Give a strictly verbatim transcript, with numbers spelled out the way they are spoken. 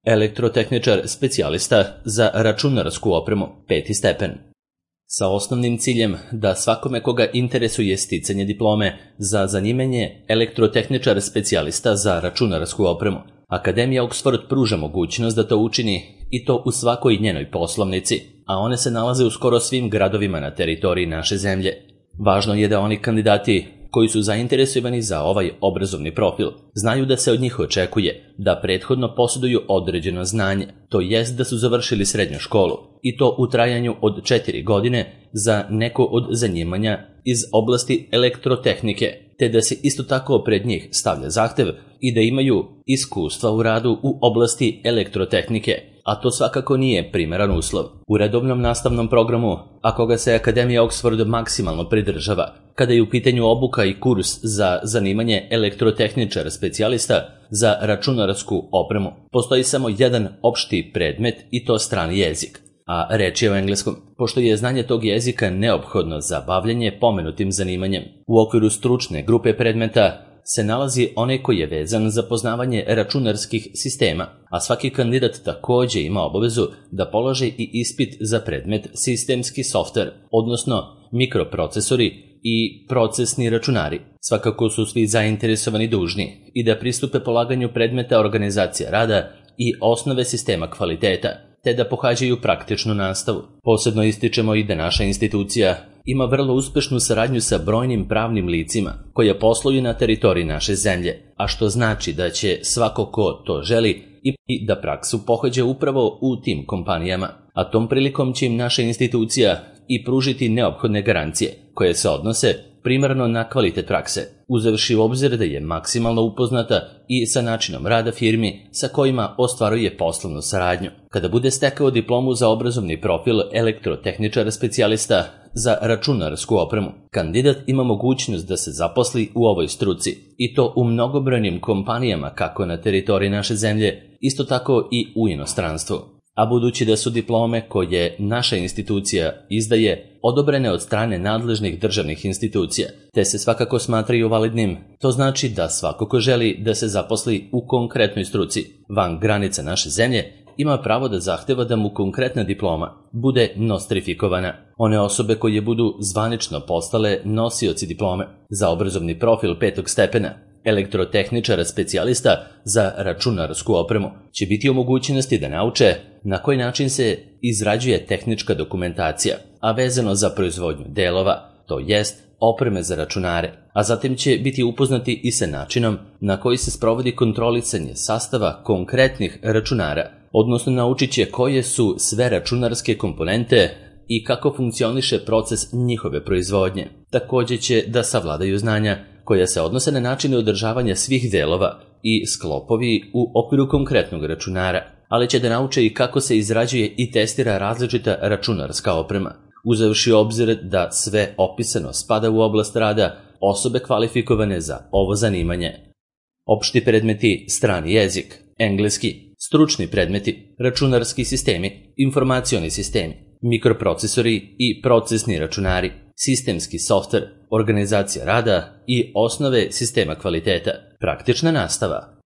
Elektrotehničar specijalista za računarsku opremu, peti stepen. Sa osnovnim ciljem da svakome koga interesuje sticanje diplome za zanimanje elektrotehničar specijalista za računarsku opremu, Akademija Oxford pruža mogućnost da to učini i to u svakoj njenoj poslovnici, a one se nalaze u skoro svim gradovima na teritoriji naše zemlje. Važno je da oni kandidati koji su zainteresovani za ovaj obrazovni profil znaju da se od njih očekuje da prethodno posjeduju određeno znanje, to jest da su završili srednju školu, i to u trajanju od četiri godine za neko od zanimanja iz oblasti elektrotehnike, te da se isto tako pred njih stavlja zahtev i da imaju iskustva u radu u oblasti elektrotehnike, a to svakako nije primeran uslov. U redovnom nastavnom programu, a koga se Akademija Oxford maksimalno pridržava, kada je u pitanju obuka i kurs za zanimanje elektrotehničar specijalista za računarsku opremu, postoji samo jedan opšti predmet i to strani jezik, a reč je o engleskom, pošto je znanje tog jezika neophodno za bavljanje pomenutim zanimanjem. U okviru stručne grupe predmeta se nalazi onaj koji je vezan za poznavanje računarskih sistema, a svaki kandidat također ima obavezu da položi i ispit za predmet sistemski softver, odnosno mikroprocesori i procesni računari. Svakako su svi zainteresovani dužni i da pristupe polaganju predmeta organizacija rada i osnove sistema kvaliteta, te da pohađaju praktičnu nastavu. Posebno ističemo i da naša institucija ima vrlo uspešnu saradnju sa brojnim pravnim licima koja posluju na teritoriji naše zemlje, a što znači da će svako ko to želi i da praksu pohađa upravo u tim kompanijama, a tom prilikom će im naša institucija i pružiti neophodne garancije koje se odnose primarno na kvalitet prakse, uzevši u obzir da je maksimalno upoznata i sa načinom rada firmi sa kojima ostvaruje poslovnu saradnju. Kada bude stekao diplomu za obrazovni profil elektrotehničara specijalista za računarsku opremu, kandidat ima mogućnost da se zaposli u ovoj struci, i to u mnogobrojnim kompanijama kako na teritoriji naše zemlje, isto tako i u inostranstvu. A budući da su diplome koje naša institucija izdaje odobrene od strane nadležnih državnih institucija, te se svakako smatraju validnim, to znači da svako ko želi da se zaposli u konkretnoj struci van granica naše zemlje ima pravo da zahteva da mu konkretna diploma bude nostrifikovana. One osobe koje budu zvanično postale nosioci diplome za obrazovni profil petog stepena elektrotehničara specijalista za računarsku opremu će biti u mogućnosti da nauče na koji način se izrađuje tehnička dokumentacija, a vezano za proizvodnju delova, to jest opreme za računare, a zatim će biti upoznati i sa načinom na koji se sprovodi kontrolisanje sastava konkretnih računara, odnosno naučit će koje su sve računarske komponente i kako funkcioniše proces njihove proizvodnje. Također će da savladaju znanja koja se odnose na načine održavanja svih delova i sklopovi u okviru konkretnog računara, ali će da nauče i kako se izrađuje i testira različita računarska oprema, uzevši obzir da sve opisano spada u oblast rada osobe kvalifikovane za ovo zanimanje. Opšti predmeti strani jezik, engleski, stručni predmeti, računarski sistemi, informacioni sistemi, mikroprocesori i procesni računari, sistemski softver, organizacija rada i osnove sistema kvaliteta, praktična nastava.